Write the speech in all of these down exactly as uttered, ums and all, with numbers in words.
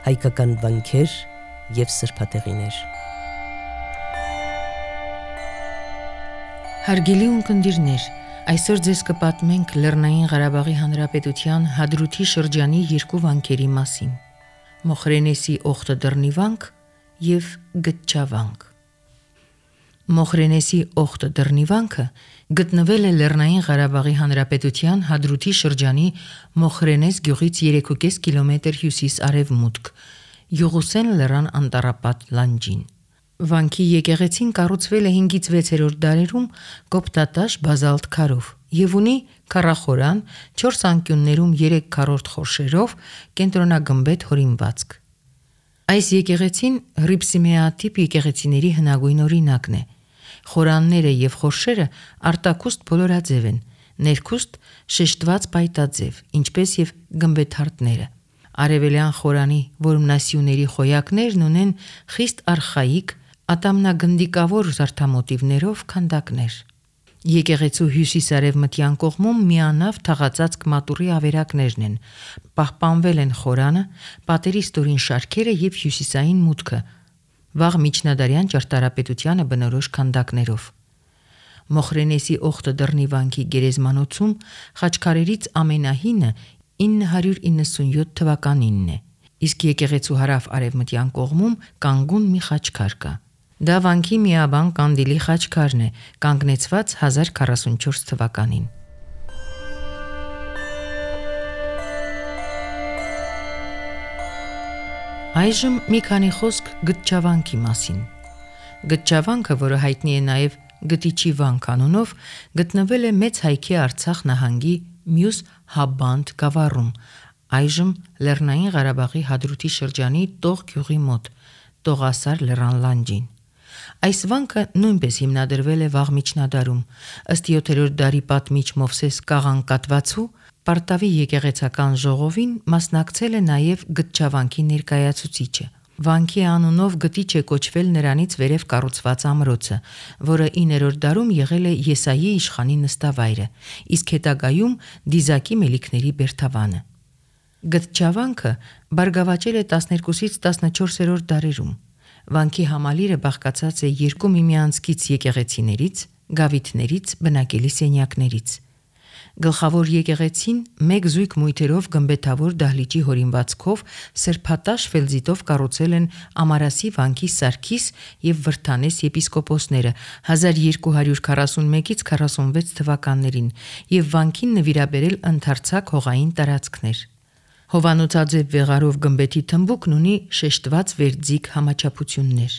հայկական վանքեր և սրբատեղիներ։ Հարգելի ունկնդիրներ, այսօր ձեզ կպատմենք Լեռնային Ղարաբաղի Հանրապետության Հադրութի շրջանի երկու վանքերի մասին՝ Մոխրենեսի Օխտը-Դռնի վանք և Գտչավանք։ Մոխրենեսի Օխտը-Դռնի վանքը գտնվել է Լեռնային Ղարաբաղի Հանրապետության Հադրութի շրջանի Մոխրենես գյուղից երեք ու կես կիլոմետր հյուսիս-արևմուտք, Յուղուսեն լեռան անտառապատ լանջին։ Վանքի եկեղեցին կառուցվել է հինգից վեցերորդ դարերում կոպտատաշ բազալտ քարով և ունի քառախորան, չորս անկյուններում երեք քառորդ խորշերով կենտրոնագմբեթ հորինվածք։ Այս եկեղեցին հռիփսիմեատիպ եկեղեցիների հնագույն օրինակն է։ Խորանները և խորշերը արտաքուստ բոլորաձև են, ներքուստ շեշտված պայտաձև, ինչպես և գմբեթարտները։ Արևելյան խորանի որմնասյուների խոյակներն ունեն խիստ արխայիկ, ատամնագնդիկավոր զարդամոտիվներով քանդակներ։ Եկեղեցու հյուսիս-արևմտյան կողմում միանավ թաղածածկ մատուռի ավերակներն են, պահպանվել են խորանը, պատերի ստորին շարքերը և հյուսիսային մուտքը՝ վաղ միջնադարյան ճարտարապետությանը բնորոշ քանդակներով։ Մոխրենեսի Օխտը-Դռնի վանքի գերեզմանոցում խաչքարերից ամենահինը ինը հարյուր իննսունյոթ թվականինն է, իսկ եկեղեցու հարավ-արևմտյան կողմում կանգուն մի խաչքար կա։ Դա վանքի միաբան կանդիլի խաչքարն է, կանգնեցված հազար քառասունչորս թվականին։ Այժմ մի քանի խոսք Գտչավանքի մասին։ Գտչավանքը, որը հայտնի է նաև Գտիչի վանք անունով, գտնվել է Մեծ Հայքի Արցախ նահանգի մյուս Հաբանդ գավառում, այժմ Լեռնային Ղարաբաղի Հադրութի շրջանի Տող գյուղի մոտ, Տողասար լեռան լանջին։ Այս վանքը նույնպես հիմնադրվել է վաղ միջնադարում։ Ըստ յոթերորդ դարի պատմիչ Մովսես Կաղանկատվացու, Պարտավի եկեղեցական ժողովին մասնակցել է նաև Գտչավանքի ներկայացուցիչը։ Վանքի անունով գտիչ է կոչվել նրանից վերև կառուցված ամրոցը, որը իններորդ դարում եղել է Եսայի իշխանի նստավայրը, իսկ հետագայում Դիզակի մելիքների բերդավանը։ Գտչավանքը բարգավաճել է տասներկուսից տասնչորսերորդ դարերում։ Վանքի համալիրը բաղկացած է երկու միմյանցքից եկեղեցիներից, գավիթներից, բնակելի սենյակներից։ Գլխավոր եկեղեցին մեկ զույգ մույթերով գմբեթավոր դահլիճի հորինվածքով սրբատաշ ֆելզիտով կառուցել են Ամարասի վանքի Սարգիս և Վրդանես եպիսկոպոսները հազար երկու հարյուր քառասունմեկից քառասունվեց թվականներին և վանքին նվիրաբերել ընդարձակ հողային տարածքներ։ Հովանոցաձև վեղարով գմբեթի թմբուկն ունի շեշտված վերձիգ համաչափություններ։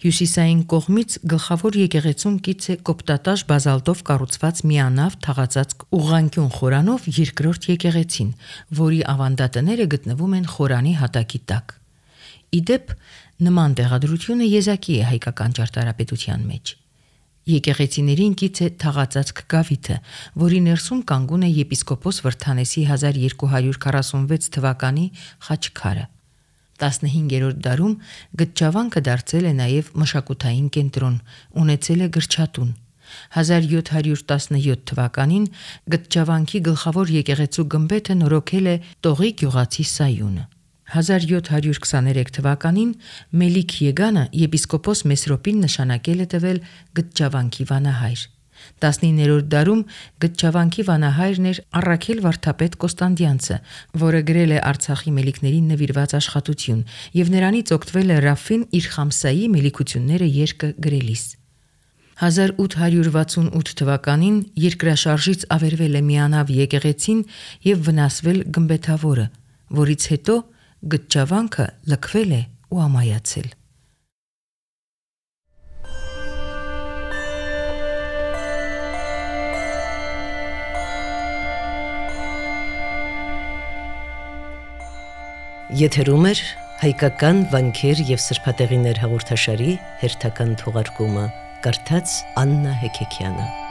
Հյուսիսային կողմից գլխավոր եկեղեցուն կից է կոպտատաշ բազալտով կառուցված միանավ թաղածածկ ուղղանկյուն խորանով երկրորդ եկեղեցին, որի ավանդատները գտնվում են խորանի հատակի տակ։ Ի դեպ, նման տեղադրությունը եզակի է հայկական ճարտարապետության մեջ։ Եկեղեցիներին կից է թաղածածկ գավիթը, որի ներսում կանգուն է եպիսկոպոս Վրդանեսի հազար երկու հարյուր քառասունվեց թվականի խաչքարը։ տասնհինգերորդ դարում Գտչավանքը դարձել է նաև մշակութային կենտրոն, ունեցել է գրչատուն։ հազար յոթ հարյուր տասնյոթ թվականին Գտչավանքի գլխավոր եկեղեցու գմբեթը նորոգել է Տողի գյուղացի Սայունը։ հազար յոթ հարյուր քսաներեք թվականին Մելիք Եգանը եպիսկոպոս Մեսրոպին նշանակել է տվել Գտչավանքի վանահայր։ տասնիններորդ դարում Գտչավանքի վանահայրն էր Առաքել վարդապետ Կոստանդյանցը, որը գրել է Արցախի մելիքներին նվիրված աշխատություն և նրանից օգտվել է Ռաֆին իր Խամսայի մելիքությունները երկը գրելիս։ հազար ութ հարյուր վաթսունութ թվականին երկրաշարժից ավերվել է միանավ եկեղեցին և վնասվել գմբեթավորը, որից հետո Գտչավանքը լքվել է ու ամայացել։ Եթերում էր հայկական վանքեր և սրբատեղիներ հաղորդաշարի հերթական թողարկումը, կարդաց Աննա Հեքեքյանը։